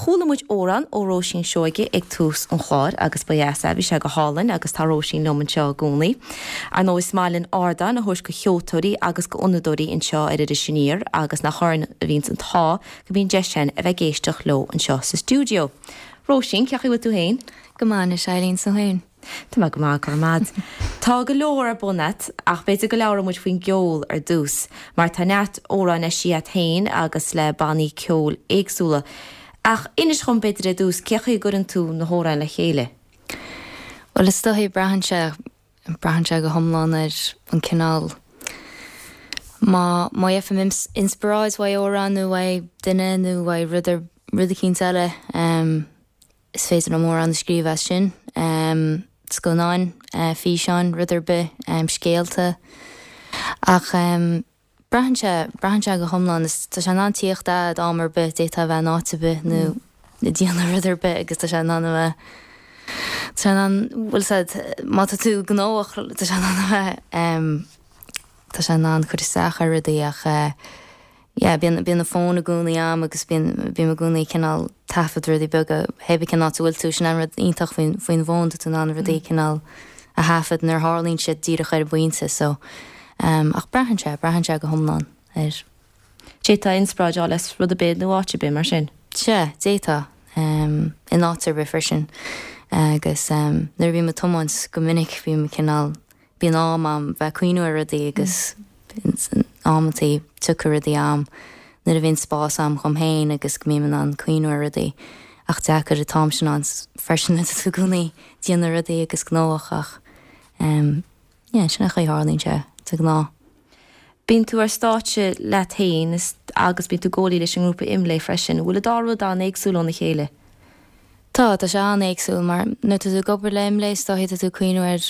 Chuala muid amhrán ó Róisín Seoige ag tús an chláir agus ba dheas é, bhí sé go hálainn agus tá Róisín liom anseo i gcónaí. Ar ndóigh is maith linn ardán a thabhairt go cheoltóirí agus go fhonnadóirí anseo ar Iris Aniar agus nach orainn a bhíonns an t-ádh go mbíonn deis againn a bheith ag éisteacht leo anseo sa stiúideo. Róisín, cén chaoi a bhfuil tú féin? Go maith anois, Eileen, 's tú féin? Tá mé go maith, go raibh maith agat. Tá go leor ar bun agat ach b'fhéidir go labhróidh muid faoin gceol ar dtús, mar tá neart amhráin eisithe agat féin agus le bannaí ceoil éagsúla. Ach inis dhom b'fhéidir ar dtús, cé chaoi a gcuireann tú na hamhráin le chéile? Bhuel, is dóichí, braitheann sé, braitheann sé go hiomlán ar an cineál, má, má gheibhim inspioráid uaidh amhrán nó uaidh duine nó uaidh rud ar, rud eicínt eile, Is féidir liom amhrán a scríobh as sin, scannáin, físeáin, rud ar bith, scéalta. Ach braitheann sé, braitheann sé go hiomlán. Is, tá sé in ann tíocht a'd am ar bith, d'fhéadfá a bheith in áit ar bith nó ag déanamh rud ar bith agus tá sé in ann a bheith, tá sé in ann, bhfuil 's a'd, má tá tú gnóthach, tá sé in ann a bheith, tá sé in ann cur isteach ar rudaí ach yeah bíonn bíonn an fón i gcónaí a'm agus bíonn bím i gcónaí cineál taifead rudaí beaga hé bith cén áit a bhfuil tú sin an rud iontach faoin faoin bhfón tá tú in ann rudaí cineál a thaifead nuair a tharlaíonn siad díreach ar an bpointe so um ach braitheann sé braitheann sé go hiomlán ar D'fhéadfá inspioráid a fháil as rud ar bith nó áit ar bith mar sin. Sea, d'fhéadfá. Um in áit ar bith freisin agus um nuair a bhím ag tiomáint go minic bím cineál Bíonn am a'm bheith ag cuimhniú ar rudaí agus amantaí tiocfaidh rudaí a'm nuair a bhíonn spás a'm dhom féin agus go mbím in ann cuimhniú ar rudaí ach deacair an t-am sin ann freisin nuair atá tú i gcónaí ag déanamh rudaí agus gnóthach ach ehm yeah sin an chaoi a tharlaíonn sé de ghnáth. Bíonn tú ar stáitse leat féin agus bíonn tú i gcónaí leis an ngrúpa Imlé freisin. Bhfuil an dá rud an-éagsúil óna chéile? Tá, tá sé an-éagsúil mar nuair atá tú ag obair le Imlé is dóichí tá tú ag cuimhniú ar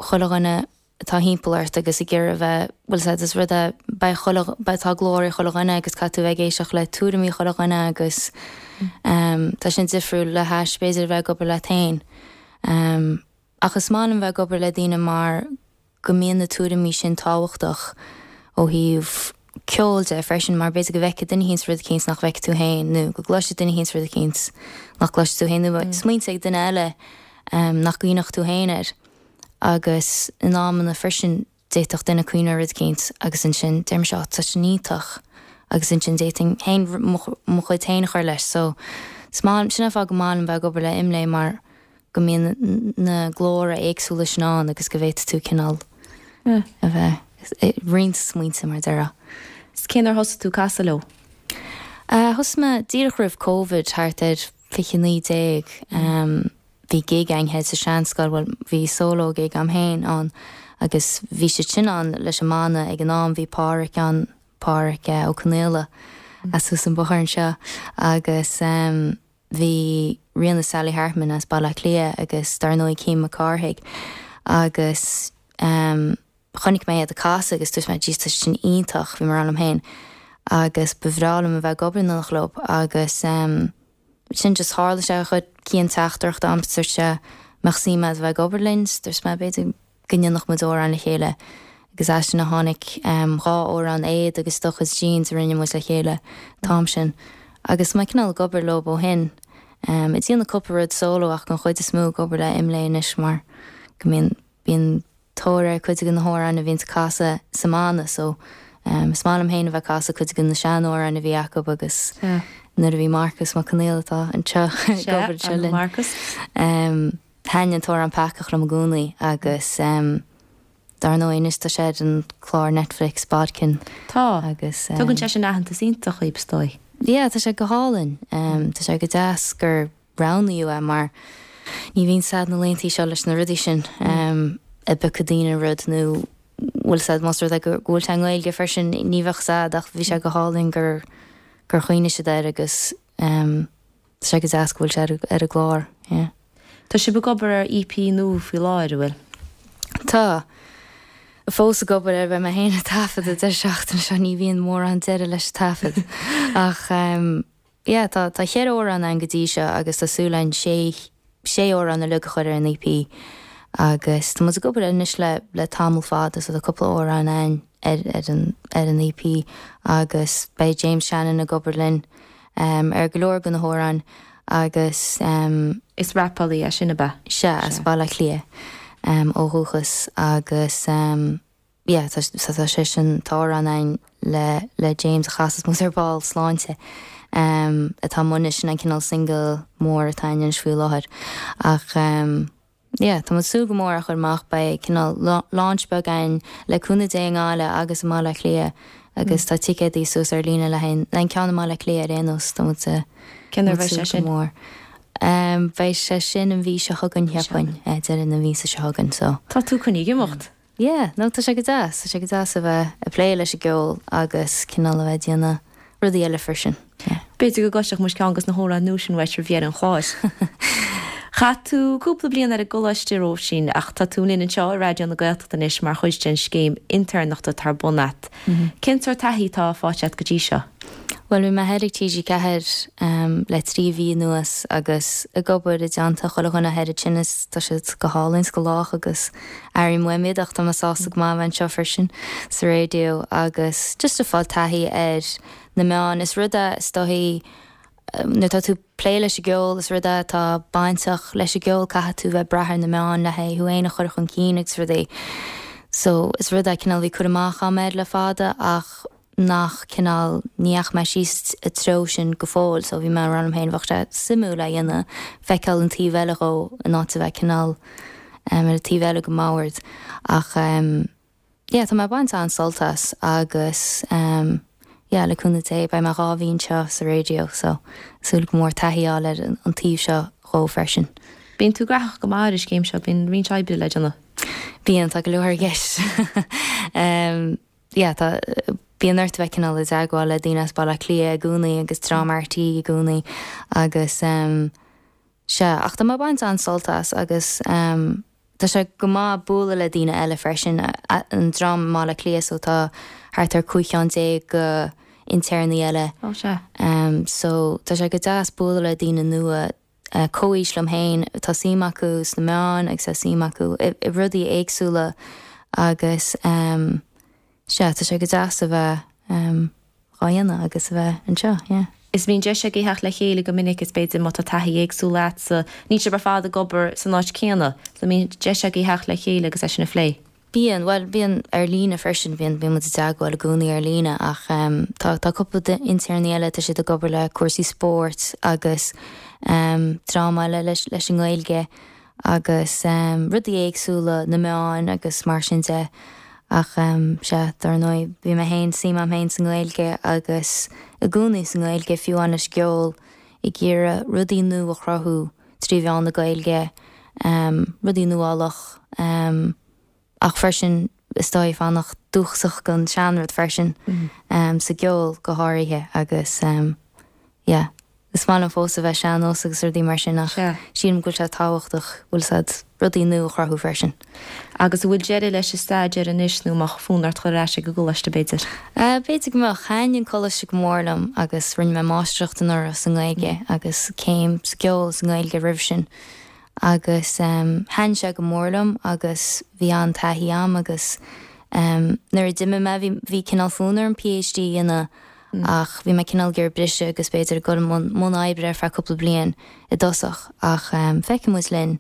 chuile dhuine atá thimpeall ort agus ag iarraidh a bheith, bhfuil 's a'd, is rud é, beidh chuile, beidh, tá glór ag chuile dhuine agus caithfidh tú a bheith ag éisteacht le tuairimí chuile dhuine agus ehm tá sin difriúil le hais b'fhéidir a bheith ag obair leat féin. Ehm ach is maith liom bheith ag obair le daoine mar go mbíonn na tuairimí sin tábhachtach ó thaobh ceoil de freisin mar b'fhéidir go bhfeicfidh duine eicínt rud eicínt nach bhfeicfidh tú féin nó go gcloisfidh duine eicínt rud eicínt nach gcloisfidh tú féin nó smaointe ag duine eile nach gcuimhneodh tú féin air. Agus in amanna freisin d'fhéadfadh duine cuimhniú ar rud eicínt agus ansin deir mise 'á tá sin iontach' agus ansin d'fhéadfainn féin mo chuid féin a chur leis so is maith, sin an fáth go maith liom bheith ag obair le Imlé mar go mbíonn na glóra éagsúla sin ann agus go bhféadfaidh tú cineál a bheith ag roinnt smaointe mar a déarfá. Is cén uair thosaigh tú ag casadh leo? Thosaigh mé díreach roimh Covid, thart ar 2019. Bhí gig againn thoir sa Seanscoil, bhuel bhí solo gig a'm féin ann agus bhí siad sin ann leis an mbanna ag an am, bhí Páraic ann, Páraic Ó Conaola as thuas an bóthar anseo agus bhí Ríona Sally Hartman as Baile Átha Cliath agus dar ndóigh Cian Mac Cárthaigh agus chonaic mé iad ag casadh agus dúirt mé jeez tá siad sin iontach, bhí mé ag rá liom féin agus ba bhreá liom a bheith ag obair in éineacht leo agus sin just tharla sé chuir Cian teachtaireacht a'm dúirt sé mbeadh suim a'd a bheith ag obair linn dúirt mé b'fhéidir go ndéanfadh muid amhrán le chéile agus as sin a tháinig 2 amhrán Éad agus Do Chuid Jeans a rinne muid le chéile an t-am sin agus mé cineál ag obair leo ó shin. Ag déanamh cúpla rud solo ach an chuid is mó ag obair le Imlé anois mar go mbíonn bíonn tóir ar cuid de na hamhráin a bhíonns ag casadh sa mbanna so is maith liom féin a bheith ag casadh cuid de na sean-amhráin a bhí acu agus nuair a bhí Marcus Mac Conghail atá anseo ag obair anseo linn. Thaitin an t-amhrán Peacach liom i gcónaí agus dar ndóigh anois tá sé ar an clár Netflix Bodkin. Tá. Agus. Tugann sé sin aitheantas iontach dhaoib is dóigh. Yeah, tá sé go hálainn. Tá sé go deas gur roghnaíodh é mar ní bhíonn 's a'd na laethanta seo leis na rudaí sin a bpiocfaidh daoine rud nó bhfuil 's a'd más rud é go bhfuil sé i nGaeilge freisin ní bheadh 's a'd ach bhí sé go hálainn gur gur chuimhnigh siad air agus tá sé go deas go bhfuil sé ar ar an gclár, yeah. Tá sibh ag obair ar EP nua faoi láthair, an bhfuil? Tá. Fós ag obair air, beidh mé féin ag taifead an deireadh seachtaine seo, ní bhíonn mórán deireadh leis an taifead ach Yeah, tá, tá cheithre amhrán ann go dtí seo agus tá súil againn sé, sé amhrán uilig a chur ar an EP agus tá muid ag obair air anois le, le tamall fada so tá cúpla amhrán ann ar, ar an, ar an EP agus beidh James Shannon ag obair linn ar go leor de na hamhráin. Agus. Is rapálaí é sin, ab ea? Sea, as Baile Átha Cliath ó dhúchas agus yeah, tá tá sé sin, tá amhrán againn le le James a chasfas muid ar ball, Sláinte, atá amuigh anois, sin an cineál single mór atá againn anois faoi láthair. Ach yeah, tá muid ag súil go mór a chur amach, beidh cineál launch beag againn le cúnamh Dé i nGaillimh agus i mBaile Átha Cliath agus tá ticéadaí suas ar líne le haghaidh an ceann i mBaile Átha Cliath ar aon nós, tá muid Cén uair a bheidh sé sin? Go mór. Beidh sé sin an mhí seo chugainn, cheapfainn, deireadh na míosa seo chugainn, so. Tá tú coinnithe ag imeacht. Yeah, no tá sé go deas, tá sé go deas a bheith ag plé leis an gceol agus cineál a bheith ag déanamh rudaí eile freisin, yeah. B'fhéidir go gcloisfeadh muid ceann de na hamhráin nua sin uait roimh dheireadh an chláir. Chaith tú cúpla bliain ar an gcoláiste, a Róisín, ach tá tú linn anseo i Raidió na Gaeltachta anois mar chuid den scéim intéirneachta atá ar bun a't. Cén sórt taithí atá faighte a't go dtí seo? Bhuel, bhí mé thoir ag TG4 le 3 mhí anuas agus ag obair i dteannta chuile dhuine thoir ansin is tá siad go hálainn is go lách agus airím uaim iad ach tá mé sásta go maith a bheith anseo freisin sa raidió agus just ag fáil taithí ar na meáin. Is rud é is dóichí nuair atá tú ag plé leis an gceol is rud é atá bainteach leis an gceol caithfidh tú bheith ag brath ar na meáin le haghaidh thú fhéin a chur chun cinn agus rudaí. So is rud é cineál bhí cur amach a'm air le fada ach nach cineál, ní dheachaigh mé síos an treo sin go fóill so bhí mé ag rá liom féin bheadh sé suimiúil é a dhéanamh, feiceáil an taobh eile dhó in áit a bheith cineál ar an taobh eile den mbord ach yeah tá mé ag baint an-sult as agus yeah le cúnamh Dé beidh mé 2 mhí anseo sa raidió so súil go mór taithí a fháil ar an taobh seo dhó freisin. Bíonn tú graitheach go maith ar an scéim seo, bíonn roinnt oibre le déanamh. Bíonn, tá go leor i gceist. yeah tá, bíonn ort a bheith cineál i dteagmháil le daoine as Baile Átha Cliath i gcónaí agus dream RTÉ i gcónaí agus ehm sea, ach tá mé ag baint an-sult as agus ehm tá sé go maith bualadh le daoine eile freisin, an dream i mBaile Átha Cliath so tá thart ar 15 cheann de intéirní eile. Ó sea. Ehm so tá sé go deas bualadh le daoine nua comhaois liom féin, tá suim acu sna meáin agus tá suim acu i rudaí éagsúla agus sea, tá sé go deas a bheith dhá dhéanamh agus a bheith anseo, yeah. Is bíonn deis agaibh theacht le chéile go minic is b'fhéidir má tá taithí éagsúil a'dsa, níl sibh ar fad ag obair san áit céanna, so bíonn deis agaibh theacht le chéile agus é sin a phlé. Bíonn, bhuel, bíonn ar líne freisin, bíonn, bíonn muid i dteagmháil i gcónaí ar líne ach tá, tá cúpla intéirní eile, tá siad ag obair le cúrsaí spóirt agus dream eile leis, leis an nGaeilge agus rudaí éagsúla, na meáin agus mar sin de ach sea, dar ndóigh, bhí mé féin, suim a'm féin sa nGaeilge agus i gcónaí sa nGaeilge, fiú amháin leis an gceol, ag iarraidh rudaí nua a chruthú. 3 mheán na Gaeilge, rudaí nuálach, ach freisin is dóigh fanacht dúchasach don seanrud freisin, sa gceol go háirithe agus yeah, is maith liom fós a bheith sean-nós agus rudaí mar sin ach sílim go bhfuil sé tábhachtach, bhfuil 's a'd, rudaí nua a chruthú freisin. Agus an bhfuil deireadh leis an staidéar anois nó an mbeadh fonn ort dhul ar ais ag an gcoláiste b'fhéidir? B'fhéidir go mbeadh. Thaitin an coláiste go mór liom agus rinne mé máistreacht anuraidh sa nGaeilge agus céim sa gceol sa nGaeilge roimh sin agus thaitin sé go mór liom agus bhí an-taithí a'm agus nuair a d'imigh mé bhí bhí cineál fonn orm PhD a dhéanamh ach bhí mé cineál ag iarraidh briseadh agus b'fhéidir ag dul i mbun oibre ar feadh cúpla bliain i dtosach ach feicfidh muid linn.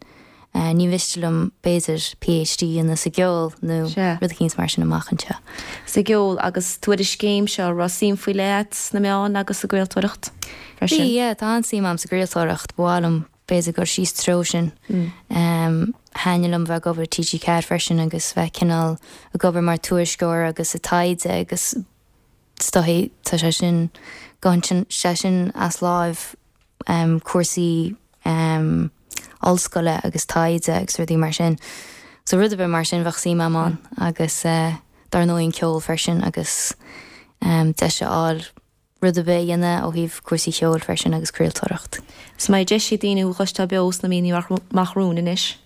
Ní mhiste liom, b'fhéidir, PhD a dhéanamh sa gceol nó rud eicínt mar sin amach anseo. Sa gceol, agus tú ar an scéim seo, an raibh suim faoi leith a't sna meáin agus sa gcraoltóireacht freisin? Bhí, yeah, tá an-suim a'm sa gcraoltóireacht, ba mhaith liom, b'fhéidir, dul síos treo sin. Thaitnigh liom bheith ag obair i TG4 freisin agus bheith cineál ag obair mar tuairisceoir agus ag taighde agus is dóichí tá sé sin, gabhann sé sin as láimh cúrsaí ollscoile agus taighde agus rudaí mar sin. So rud ar bith mar sin bheadh suim a'm ann agus dar ndóigh an ceol freisin agus deis a fháil rud ar bith a dhéanamh ó thaobh cúrsaí cheoil freisin agus craoltóireacht. Is an mbeidh deis ag daoine thú a chloisteáil beo sna míonna amach romhainn anois?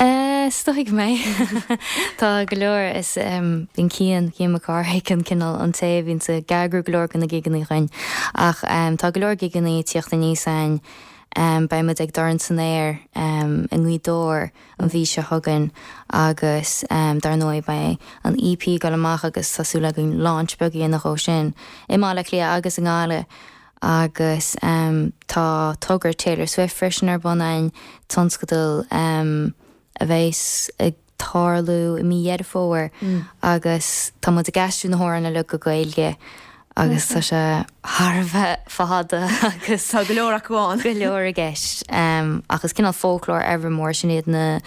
Is dóigh go mbeidh. Tá go leor, is bíonn Cian, Cian Mac Cárthaigh an cineál an té a bhíonns ag eagrú go leor de na gigeanna dhúinn. Ach tá go leor gigeanna ag tíocht aníos a'inn. Beidh muid ag Dorn san Aer i nGaoth Dobhair an mhí seo chugainn agus dar ndóigh beidh an EP ag dul amach agus tá súil againn launch beag a dhéanamh dhó sin i mBaile Átha Cliath agus i nGaillimh. Agus tá togra Taylor Swift freisin ar bun againn, tionscadal a bheas ag tarlú i mí Dheireadh Fómhair agus tá muid ag aistriú na hamhráin uilig go Gaeilge agus tá sé thar a bheith fada agus Tá go leor acu ann. go leor i gceist. Ach is cineál foclóir Evermore, sin iad na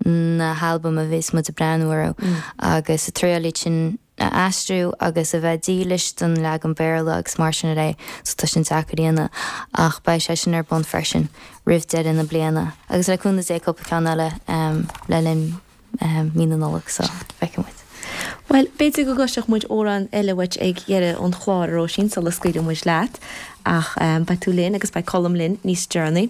na halbaim a bheas muid ag breathnú orthu agus ag triail iad sin a aistriú agus a bheith dílis don leagan Béarla agus mar sin de so tá sin deacair a dhéanamh ach beidh sé sin ar bun freisin roimh deireadh na bliana agus le cúnamh Dé cúpla ceann eile le linn mí na Nollag so feicfidh muid. Bhuel, b'fhéidir go gcloisfeadh muid amhrán eile uait ag deireadh an chláir, a Róisín, sula scaoilfidh muid leat ach beidh tú linn agus beidh Colm linn níos deireanaí.